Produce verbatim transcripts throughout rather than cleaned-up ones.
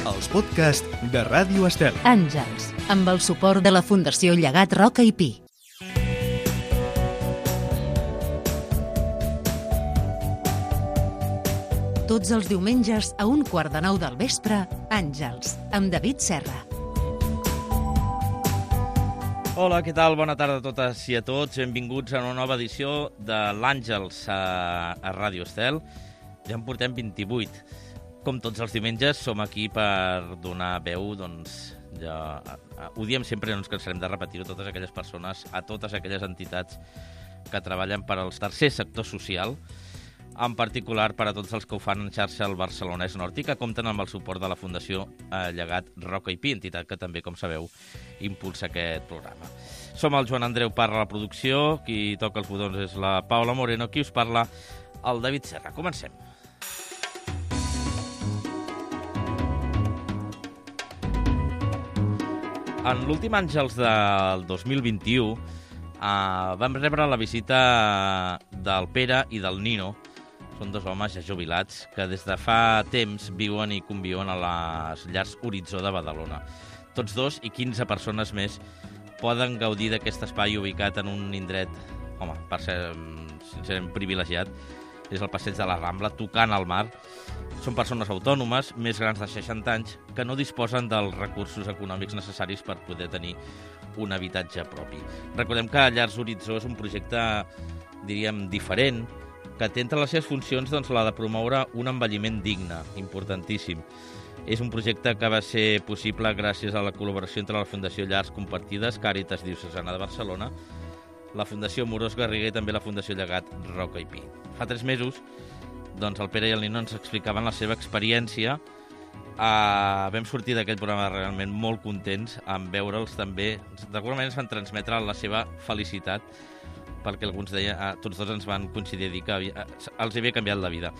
els podcasts de Ràdio Estel. Àngels, amb el suport de la Fundació Llegat Roca i Pi. Tots els diumenges a un quart de nou del vespre, Àngels, amb David Serra. Hola, què tal? Bona tarda a totes i a tots. Benvinguts a una nova edició de l'Àngels a, a Ràdio Estel. Ja en portem vint-i-vuit. Com tots els diumenges, som aquí per donar veu, doncs, ja, ho diem sempre, no ens cansarem de repetir-ho, a totes aquelles persones, a totes aquelles entitats que treballen per al tercer sector social, en particular per a tots els que ho fan en xarxa al Barcelonès Nord i que compten amb el suport de la Fundació Llegat Roca i Pi, entitat que també, com sabeu, impulsa aquest programa. Som el Joan Andreu Parra a la producció, qui toca els botons és la Paula Moreno, qui us parla, el David Serra. Comencem. En l'últim Àngels del dos mil vint-i-u eh, vam rebre la visita del Pere i del Nino. Són dos homes ja jubilats que des de fa temps viuen i conviuen a les llars Horitzó de Badalona. Tots dos i quinze persones més poden gaudir d'aquest espai ubicat en un indret, home, per ser sincerament privilegiat, és el passeig de la Rambla, tocant al mar. Són persones autònomes, més grans de seixanta anys, que no disposen dels recursos econòmics necessaris per poder tenir un habitatge propi. Recordem que Llars Horitzó és un projecte, diríem, diferent, que té entre les seves funcions doncs, la de promoure un envelliment digne, importantíssim. És un projecte que va ser possible gràcies a la col·laboració entre la Fundació Llars Compartides, Càritas Diocesana de Barcelona, la Fundació Morós Garriga i també la Fundació Llegat Roca i Pi. Fa tres mesos, doncs, el Pere i el Nino ens explicaven la seva experiència. Uh, vam sortir d'aquell programa realment molt contents en veure'ls també. D'alguna manera ens van transmetre la seva felicitat, perquè alguns deien, uh, tots dos ens van coincidir dir que havia, uh, els havia canviat la vida.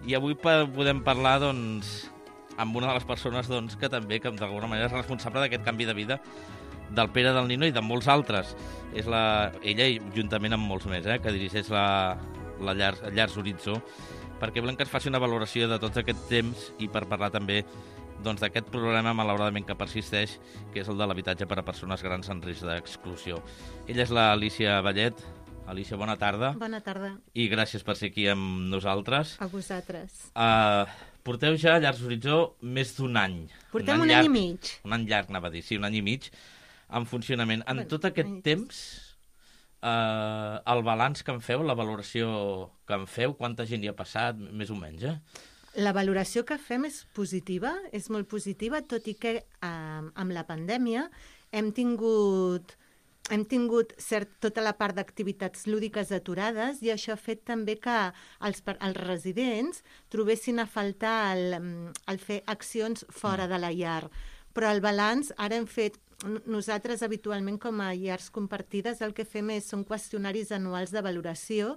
I avui podem parlar, doncs, amb una de les persones doncs, que també, que d'alguna manera és responsable d'aquest canvi de vida del Pere, del Nino i de molts altres. És la, ella, i juntament amb molts més, eh, que dirigeix la, la Llars, Llars Horitzó, perquè volem que es faci una valoració de tot aquest temps i per parlar també doncs, d'aquest problema, malauradament, que persisteix, que és el de l'habitatge per a persones grans en risc d'exclusió. Ella és l'Alícia Vallet. Alícia, bona tarda. Bona tarda. I gràcies per ser aquí amb nosaltres. A vosaltres. Uh, porteu ja a Llars Horitzó més d'un any. Portem un, un any, llarg, any i mig. Un any llarg, anava a dir, sí, un any i mig, en funcionament. En bueno, tot aquest temps... Uh, el balanç que en feu, la valoració que en feu, quanta gent hi ha passat, més o menys, eh? La valoració que fem és positiva, és molt positiva, tot i que eh, amb la pandèmia hem tingut, hem tingut cert, tota la part d'activitats lúdiques aturades i això ha fet també que els, els residents trobessin a faltar el, el fer accions fora de la llar. Però el balanç, ara hem fet, nosaltres habitualment com a llars compartides el que fem és, són qüestionaris anuals de valoració.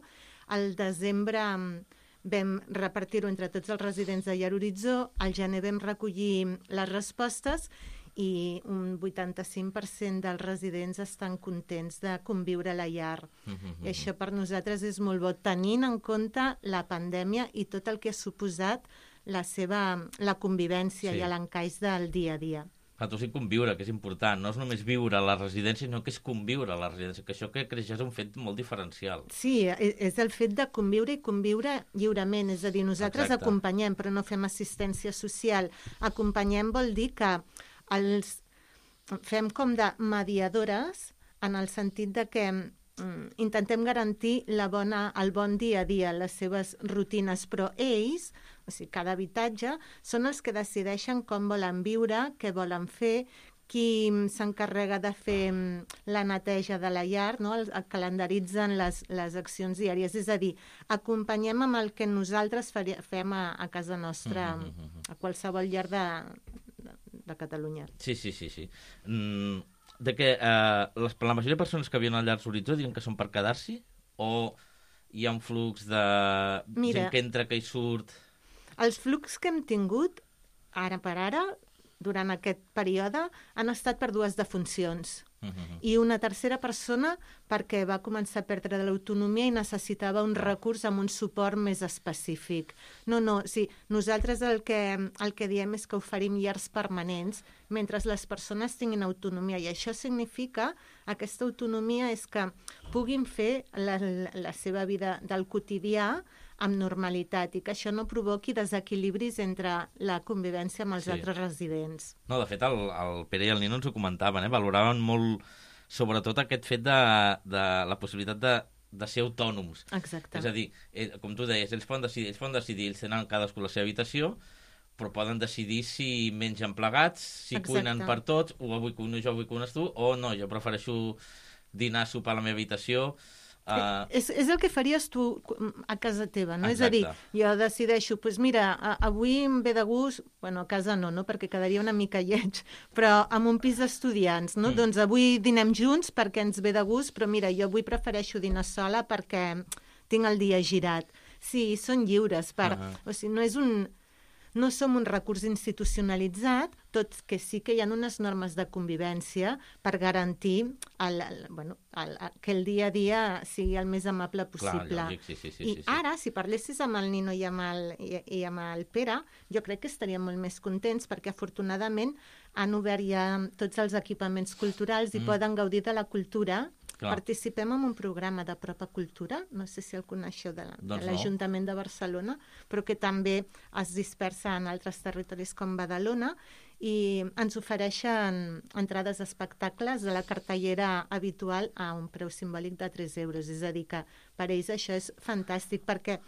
Al desembre vam repartir-ho entre tots els residents de Llar Horitzó, al gener vam recollir les respostes i un vuitanta-cinc per cent dels residents estan contents de conviure a la llar. Mm-hmm. I això per nosaltres és molt bo, tenint en compte la pandèmia i tot el que ha suposat la seva la convivència sí. I l'encaix del dia a dia. A tu sí conviure, que és important. No és només viure a la residència, sinó que és conviure a la residència, que això que creix és un fet molt diferencial. Sí, és el fet de conviure i conviure lliurement. És a dir, nosaltres Exacte. Acompanyem, però no fem assistència social. Acompanyem vol dir que els fem com de mediadores en el sentit de que mm, intentem garantir la bona, el bon dia a dia, les seves rutines, però ells, o sigui, cada habitatge, són els que decideixen com volen viure, què volen fer, qui s'encarrega de fer la neteja de la llar, no? el, el calendaritzen les, les accions diàries. És a dir, acompanyem amb el que nosaltres faria, fem a, a casa nostra, mm-hmm. a qualsevol llar de, de, de Catalunya. Sí, sí, sí. sí. Mm, de que eh, les, la majoria de persones que viuen a Llars Horitzó diuen que són per quedar-s'hi o hi ha un flux de Mira, gent que entra, que hi surt... Els flux que hem tingut, ara per ara, durant aquest període, han estat per dues defuncions. Uh -huh. I una tercera persona perquè va començar a perdre l'autonomia i necessitava un recurs amb un suport més específic. No, no, sí, nosaltres el que, el que diem és que oferim llars permanents mentre les persones tinguin autonomia, i això significa, aquesta autonomia és que puguin fer la, la seva vida del quotidià amb normalitat i que això no provoqui desequilibris entre la convivència amb els Sí. altres residents. No, de fet, el, el Pere i el Nino ens ho comentaven, eh? Valoraven molt, sobretot, aquest fet de, de la possibilitat de, de ser autònoms. Exacte. És a dir, eh, com tu deies, ells poden decidir, ells poden decidir, ells tenen cadascú la seva habitació, però poden decidir si mengen plegats, si Exacte. cuinen per tots, o avui cuino jo, avui cuines tu, o no, jo prefereixo dinar, sopar a la meva habitació. Uh... És, és el que faries tu a casa teva, no? Exacte. És a dir, jo decideixo, doncs pues mira, a, avui em ve de gust, bueno, a casa no, no? Perquè quedaria una mica lleig, però amb un pis d'estudiants, no? Mm. Doncs avui dinem junts perquè ens ve de gust, però mira, jo avui prefereixo dinar sola perquè tinc el dia girat. Sí, són lliures, per... Uh -huh. O sigui, no és un... No som un recurs institucionalitzat, tot que sí que hi ha unes normes de convivència per garantir el, el, bueno, el, el, que el dia a dia sigui el més amable possible. Clar, lògic, sí, sí, sí, I sí, sí. ara, si parlessis amb el Nino i amb el, i, i amb el Pere, jo crec que estaríem molt més contents perquè afortunadament han obert ja tots els equipaments culturals i mm. poden gaudir de la cultura. Clar. Participem en un programa de Propa Cultura, no sé si el coneixeu, de, Doncs de l'Ajuntament de Barcelona, però que també es dispersa en altres territoris com Badalona, i ens ofereixen entrades a espectacles de la cartellera habitual a un preu simbòlic de tres euros. És a dir, que per ells això és fantàstic, perquè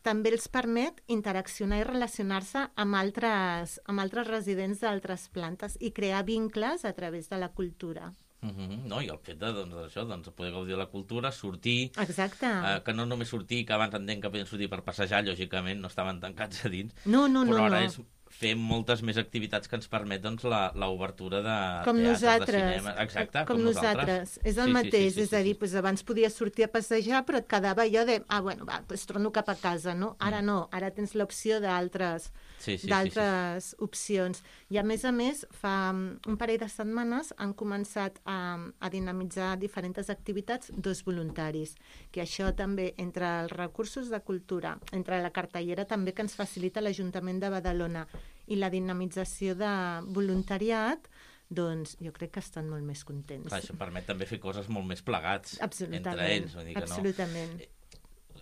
també els permet interaccionar i relacionar-se amb altres, amb altres residents d'altres plantes i crear vincles a través de la cultura. Uh -huh. No, i el fet de, doncs, això, doncs, poder gaudir de la cultura, sortir... Exacte. Eh, que no només sortir, que abans entenc que podien sortir per passejar, lògicament, no estaven tancats a dins. No, no, però no. ara no. és fer moltes més activitats que ens permet doncs, l'obertura de com teatres, nosaltres, de cinema... Exacte, com, com nosaltres. És el sí, mateix, sí, sí, sí, és a dir, sí. doncs abans podies sortir a passejar, però et quedava allò de, ah, bueno, va, doncs torno cap a casa, no? Ara Mm. no, ara tens l'opció d'altres sí, sí, d'altres sí, sí. opcions. I a més a més, fa un parell de setmanes han començat a, a dinamitzar diferents activitats dos voluntaris, que això també, entre els recursos de cultura, entre la cartellera també que ens facilita l'Ajuntament de Badalona i la dinamització de voluntariat, doncs jo crec que estan molt més contents. Clar, això permet també fer coses molt més plegats Absolutament, entre ells. Vull dir que absolutament. No.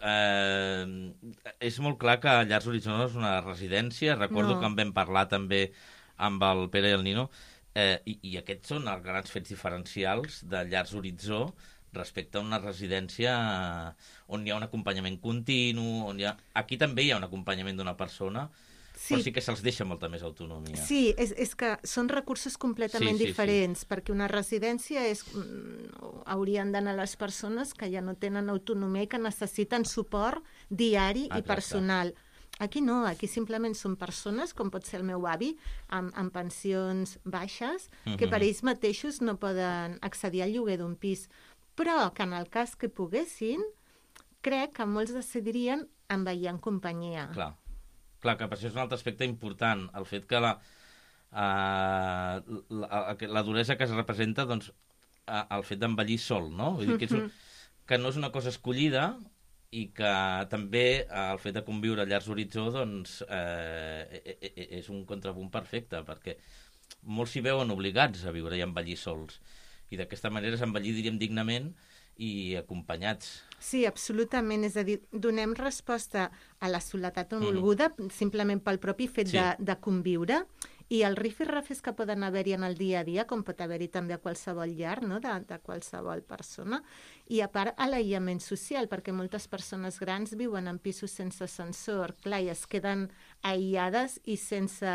Eh, és molt clar que Llars Horitzó és una residència. Recordo No. que en vam parlar també amb el Pere i el Nino, eh, i, i aquests són els grans fets diferencials de Llars Horitzó respecte a una residència on hi ha un acompanyament continu, on hi ha... Aquí també hi ha un acompanyament d'una persona, sí. Però sí que se'ls deixa molta més autonomia. Sí, és, és que són recursos completament sí, sí, diferents, sí. perquè una residència és, haurien d'anar les persones que ja no tenen autonomia i que necessiten suport diari Exacte. i personal. Aquí no, aquí simplement són persones, com pot ser el meu avi, amb, amb pensions baixes, uh -huh. que per ells mateixos no poden accedir al lloguer d'un pis, però que en el cas que poguessin, crec que molts decidirien envair en companyia. Clar. Clar, que per això és un altre aspecte important, el fet que la, uh, la, la duresa que es representa, doncs, uh, el fet d'envellir sol, no? Vull dir que, és un, que no és una cosa escollida i que també uh, el fet de conviure a Llars Horitzó, doncs, eh, és un contrapunt perfecte, perquè molts s'hi veuen obligats a viure i a envellir sols. I d'aquesta manera és envellir, diríem, dignament i acompanyats. Sí, absolutament. És a dir, donem resposta a la soledat no volguda, mm. simplement pel propi fet sí. de, de conviure, i el rifirrafes que poden haver-hi en el dia a dia, com pot haver-hi també a qualsevol llar, no? de, de qualsevol persona, i a part a l'aïllament social, perquè moltes persones grans viuen en pisos sense ascensor, clar, i es queden aïllades i sense...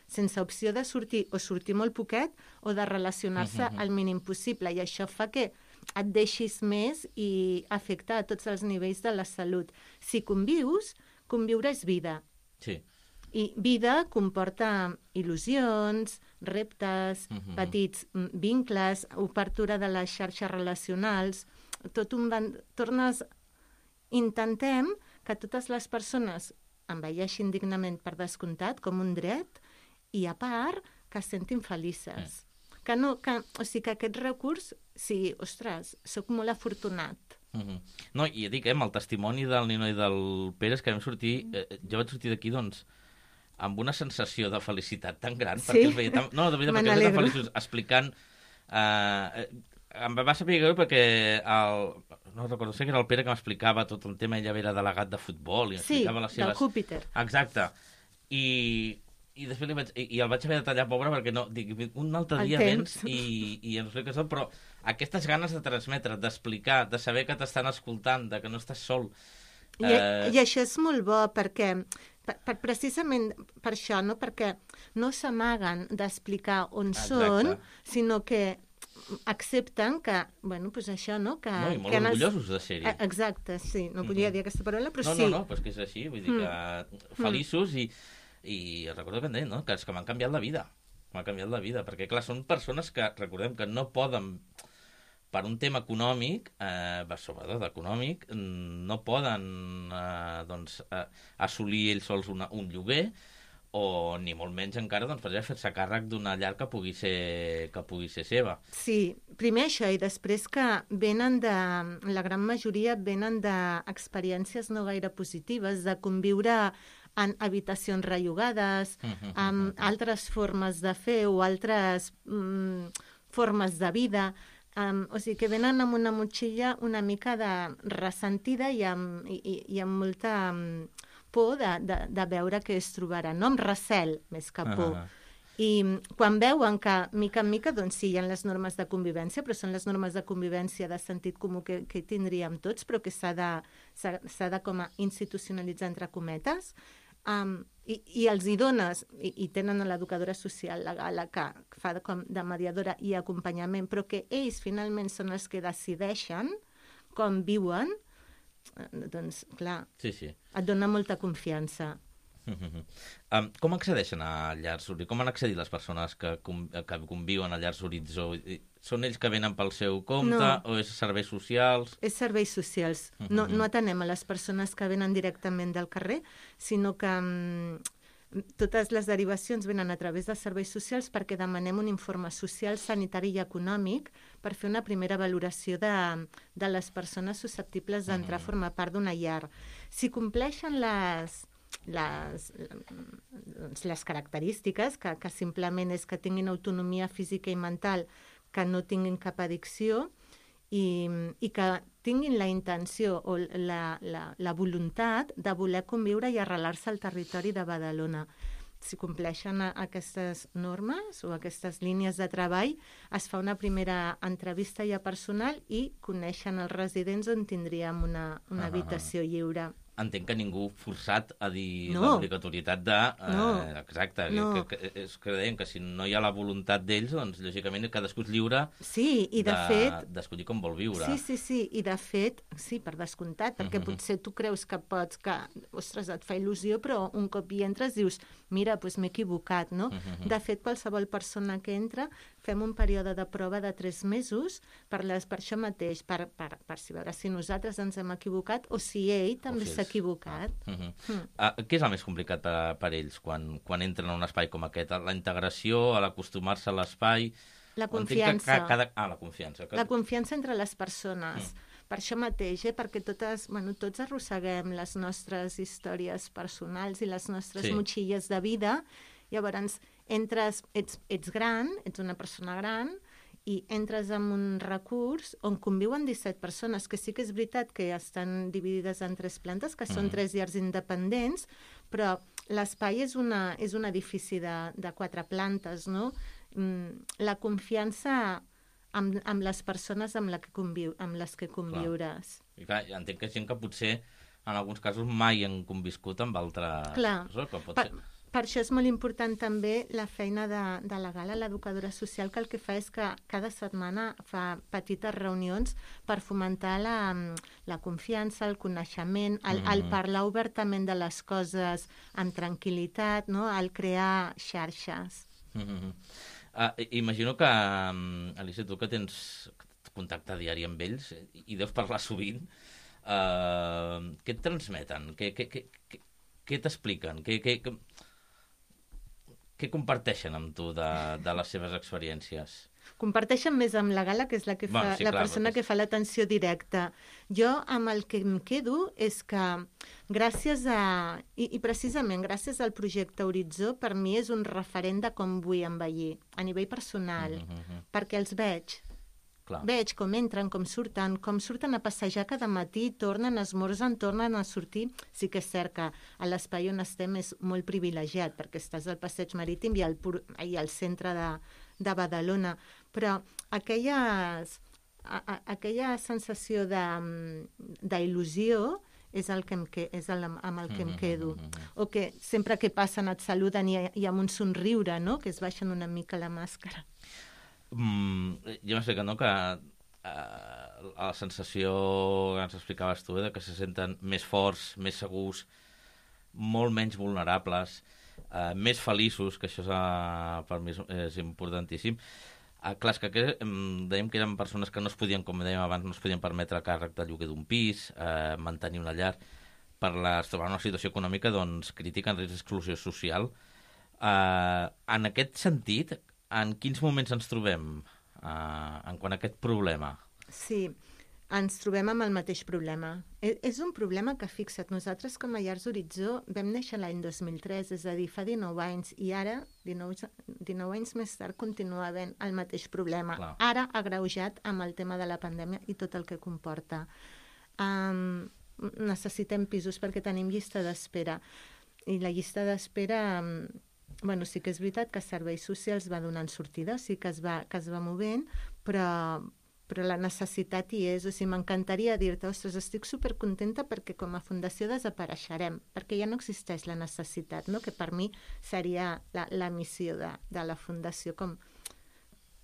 sense opció de sortir, o sortir molt poquet, o de relacionar-se uh -huh. al mínim possible, i això fa que et deixis més i afecta a tots els nivells de la salut. Si convius, conviure és vida. Sí. I vida comporta il·lusions, reptes, uh-huh. petits vincles, obertura de les xarxes relacionals, tot un van... Tornes... Intentem que totes les persones envelleixin dignament per descomptat, com un dret, i a part que es sentin felices. Mm. que no, que, o sigui, que aquest recurs, sí, ostres, sóc molt afortunat. Uh -huh. No, i ja dic, eh, amb el testimoni del Nino i del Pere, és que vam sortir, eh, jo vaig sortir d'aquí, doncs, amb una sensació de felicitat tan gran, sí? perquè els veia tan... No, de veritat, perquè els veia tan feliços, explicant... Eh, em va saber greu perquè el... no recordo, sé que era el Pere que m'explicava tot el tema, ell era delegat de futbol i sí, explicava les seves... del Júpiter. Exacte. I, i després li vaig, i, i el vaig haver de tallar, pobre, perquè no, dic, un altre El dia temps. vens i, i ens expliques tot, però aquestes ganes de transmetre, d'explicar, de saber que t'estan escoltant, de que no estàs sol... I, eh... I això és molt bo, perquè... Per, per, precisament per això, no? Perquè no s'amaguen d'explicar on Exacte. Són, sinó que accepten que, bueno, doncs això, no? Que, no, i molt que orgullosos de ser-hi. Exacte, sí. No podia mm-hmm. dir aquesta paraula, però no, sí. No, no, no, però és que és així, vull dir que mm. feliços i, i recordo que em deien, no?, que, que m'han canviat la vida. M'ha canviat la vida, perquè, clar, són persones que, recordem, que no poden... per un tema econòmic, eh, sobretot econòmic, no poden eh, doncs, eh, assolir ells sols una, un lloguer, o ni molt menys encara doncs, per exemple, fer-se càrrec d'una llar que pugui ser que pugui ser seva. Sí, primer això, i després que venen de... la gran majoria venen d'experiències no gaire positives, de conviure en habitacions rellogades, uh-huh, amb uh-huh. altres formes de fer o altres mm, formes de vida. Um, o sigui, que venen amb una motxilla una mica de ressentida i amb, i, i amb molta um, por de, de, de veure què es trobarà, no? Amb recel, més que por. Uh-huh. I quan veuen que, mica en mica, doncs sí, hi ha les normes de convivència, però són les normes de convivència de sentit comú que, que tindríem tots, però que s'ha de, s'ha, s'ha de com a institucionalitzar entre cometes, um, i, i els hi dones, i, i tenen l'educadora social, la Gala, que fa de, com de mediadora i acompanyament, però que ells finalment són els que decideixen com viuen, doncs, clar, sí, sí. et dona molta confiança. um, com accedeixen a llars Horitzó? Com han accedit les persones que, com, que conviuen a llars Horitzó? Són ells que venen pel seu compte no. o és serveis socials? És serveis socials. No, no atenem a les persones que venen directament del carrer, sinó que um, totes les derivacions venen a través dels serveis socials perquè demanem un informe social, sanitari i econòmic per fer una primera valoració de, de les persones susceptibles d'entrar a formar part d'una llar. Si compleixen les... Les, les característiques, que, que simplement és que tinguin autonomia física i mental, que no tinguin cap addicció i, i que tinguin la intenció o la, la, la voluntat de voler conviure i arrelar-se al territori de Badalona. Si compleixen aquestes normes o aquestes línies de treball, es fa una primera entrevista ja personal i coneixen els residents on tindríem una, una ah, habitació lliure. Entenc que ningú forçat a dir no. l'obligatorietat de... Eh, no. Exacte, no. que, que, és que deien que si no hi ha la voluntat d'ells, doncs lògicament cadascú és lliure sí, i de, de fet, d'escollir com vol viure. Sí, sí, sí, i de fet, sí, per descomptat, perquè uh-huh. potser tu creus que pots, que, ostres, et fa il·lusió, però un cop hi entres dius, mira, doncs m'he equivocat, no? Uh-huh. De fet, qualsevol persona que entra, fem un període de prova de tres mesos per, les, per això mateix, per, per, per si veure si nosaltres ens hem equivocat o si ell també si s'ha equivocat. Ah. Uh-huh. Mm. Uh, què és el més complicat per, per ells quan, quan entren a un espai com aquest? La integració, l'acostumar-se a l'espai... La confiança. Que cada... Ah, la confiança. Que... La confiança entre les persones. Mm. Per això mateix, eh? Perquè totes, bueno, tots arrosseguem les nostres històries personals i les nostres sí. motxilles de vida. Llavors, entres, ets, ets gran, ets una persona gran, i entres en un recurs on conviuen disset persones, que sí que és veritat que estan dividides en tres plantes, que són mm. tres llars independents, però l'espai és, una, és un edifici de, de quatre plantes, no? La confiança amb, amb les persones amb, la que conviu, amb les que conviuràs. Clar. I clar, entenc que gent que potser en alguns casos mai han conviscut amb altres... Clar, pot per, ser... per això és molt important també la feina de, de la Gala, l'educadora social, que el que fa és que cada setmana fa petites reunions per fomentar la, la confiança, el coneixement, el, mm. el parlar obertament de les coses amb tranquil·litat, no? El crear xarxes. Mm-hmm. Uh, imagino que, um, Alicia, tu que tens contacte diari amb ells i deus parlar sovint, uh, què et transmeten? Què, què, què, què, què t'expliquen? Què, què, què, què comparteixen amb tu de, de les seves experiències? comparteixen més amb la Gala, que és la, que fa, Bueno, sí, la clar, persona perquè- que fa l'atenció directa. Jo amb el que em quedo és que gràcies a... I, i precisament gràcies al projecte Horitzó, per mi és un referent de com vull envellir, a nivell personal, Mhm, mhm. perquè els veig. Clar. Veig com entren, com surten, com surten a passejar cada matí, tornen, esmorzen, tornen a sortir. Sí que és cert que a l'espai on estem és molt privilegiat, perquè estàs al passeig marítim i al, pur, i al centre de, de Badalona. Però aquelles, a, a, aquella sensació de- d'il·lusió és el que em que, és el, amb el que em quedo. O que sempre que passen et saluden i, i amb un somriure, no?, que es baixen una mica la màscara. Mm, jo m'explico, no?, que eh, la sensació que ens explicaves tu, eh, de que se senten més forts, més segurs, molt menys vulnerables, eh, més feliços, que això és, eh, per mi és, és importantíssim. Eh, clar, és que aquest, em, dèiem que eren persones que no es podien, com dèiem abans, no es podien permetre el càrrec de lloguer d'un pis, eh, mantenir una llar, per la, es trobaven en una situació econòmica doncs, crítica, en risc d'exclusió social. Eh, en aquest sentit, en quins moments ens trobem uh, en quant a aquest problema? Sí, ens trobem amb el mateix problema. E- És un problema que, fixa't, nosaltres com a Llars Horitzó vam néixer l'any dos mil tres, és a dir, fa dinou anys, i ara, dinou, dinou anys més tard, continua havent el mateix problema. Clar. Ara agreujat amb el tema de la pandèmia i tot el que comporta. Um, necessitem pisos perquè tenim llista d'espera. I la llista d'espera... Um, bueno, sí que és veritat que Serveis Socials va donant sortida, sí que es va, que es va movent, però, però la necessitat hi és. O sigui, m'encantaria dir-te, ostres, estic supercontenta perquè com a fundació desapareixerem, perquè ja no existeix la necessitat, no?, que per mi seria la, la missió de, de la fundació, com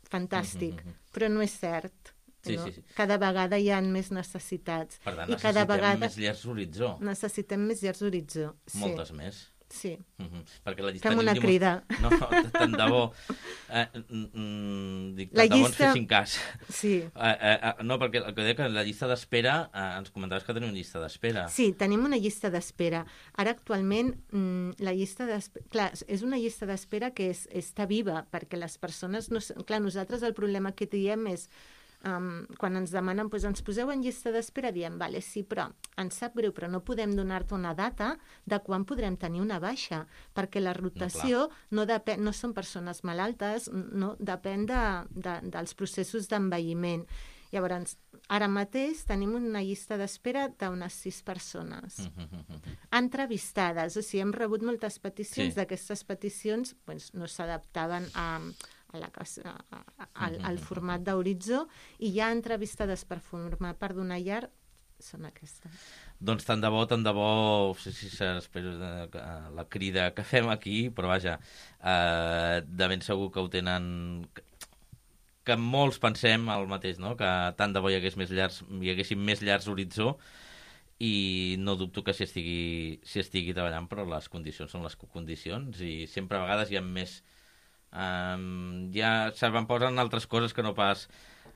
fantàstic, Mhm, mhm. però no és cert. Sí, no? sí, sí. Cada vegada hi ha més necessitats. Per tant, I cada necessitem vegada més llars Horitzó, necessitem més Llars Horitzó. Sí, moltes més. sí. Uh -huh. Perquè la llista Fem una diu- crida. No, tant de bo. Eh, mm, mm, dic, La tant de bo ens llista- fessin cas. Sí. Eh, eh, eh, no, perquè el que deia que la llista d'espera, eh, ens comentaves que teniu una llista d'espera. Sí, tenim una llista d'espera. Ara, actualment, mm, la llista d'espera... Clar, és una llista d'espera que és, està viva, perquè les persones... No... s- Clar, nosaltres el problema que diem és... Um, quan ens demanen, doncs ens poseu en llista d'espera, diem, vale, sí, però ens sap greu, però no podem donar-te una data de quan podrem tenir una baixa, perquè la rotació no, depèn, no són persones malaltes, no, depèn de, de, dels processos d'envelliment. Llavors, ara mateix tenim una llista d'espera d'unes sis persones Uh -huh, uh -huh. entrevistades, o sigui, hem rebut moltes peticions, Sí. d'aquestes peticions doncs, no s'adaptaven a, a la, a, a, al, al format d'Horitzó, i ja entrevistades per formar part d'una llar són aquestes. Doncs tant de bo, tant de bo, sí, sí, espero eh, que, eh, la crida que fem aquí, però vaja, eh, de ben segur que ho tenen... Que, que molts pensem el mateix, no?, que tant de bo hi hagués més llars, hi haguessin més llars Horitzó, i no dubto que s'hi estigui, s'hi estigui treballant, però les condicions són les condicions, i sempre a vegades hi ha més... Um, ja s'avantposen altres coses que no pas,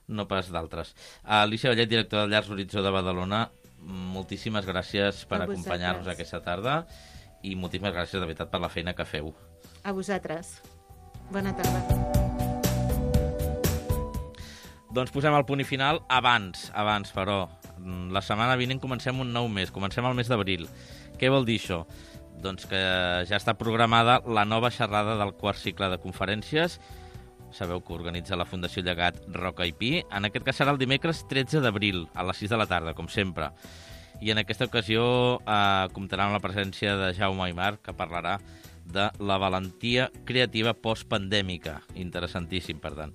no pas d'altres. Alicia Vallet, directora de Llars Horitzó de Badalona, moltíssimes gràcies per A acompanyar-nos vosaltres. aquesta tarda, i moltíssimes gràcies de veritat per la feina que feu. A vosaltres. Bona tarda. Doncs posem el punt i final abans, abans, però. La setmana vinent comencem un nou mes, comencem el mes d'abril. Què vol dir això? Doncs que ja està programada la nova xerrada del quart cicle de conferències. Sabeu que organitza la Fundació Llegat Roca i Pi. En aquest cas serà el dimecres tretze d'abril, a les sis de la tarda, com sempre. I en aquesta ocasió eh, comptarà amb la presència de Jaume Aymar, que parlarà de la valentia creativa postpandèmica. Interessantíssim, per tant.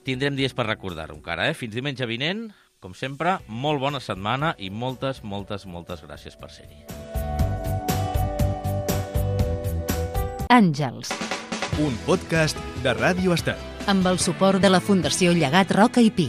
Tindrem dies per recordar-ho encara, eh? Fins diumenge vinent, com sempre, molt bona setmana i moltes, moltes, moltes gràcies per ser-hi. Àngels, Un podcast de Ràdio Estel. amb el suport de la Fundació Llegat Roca i Pi.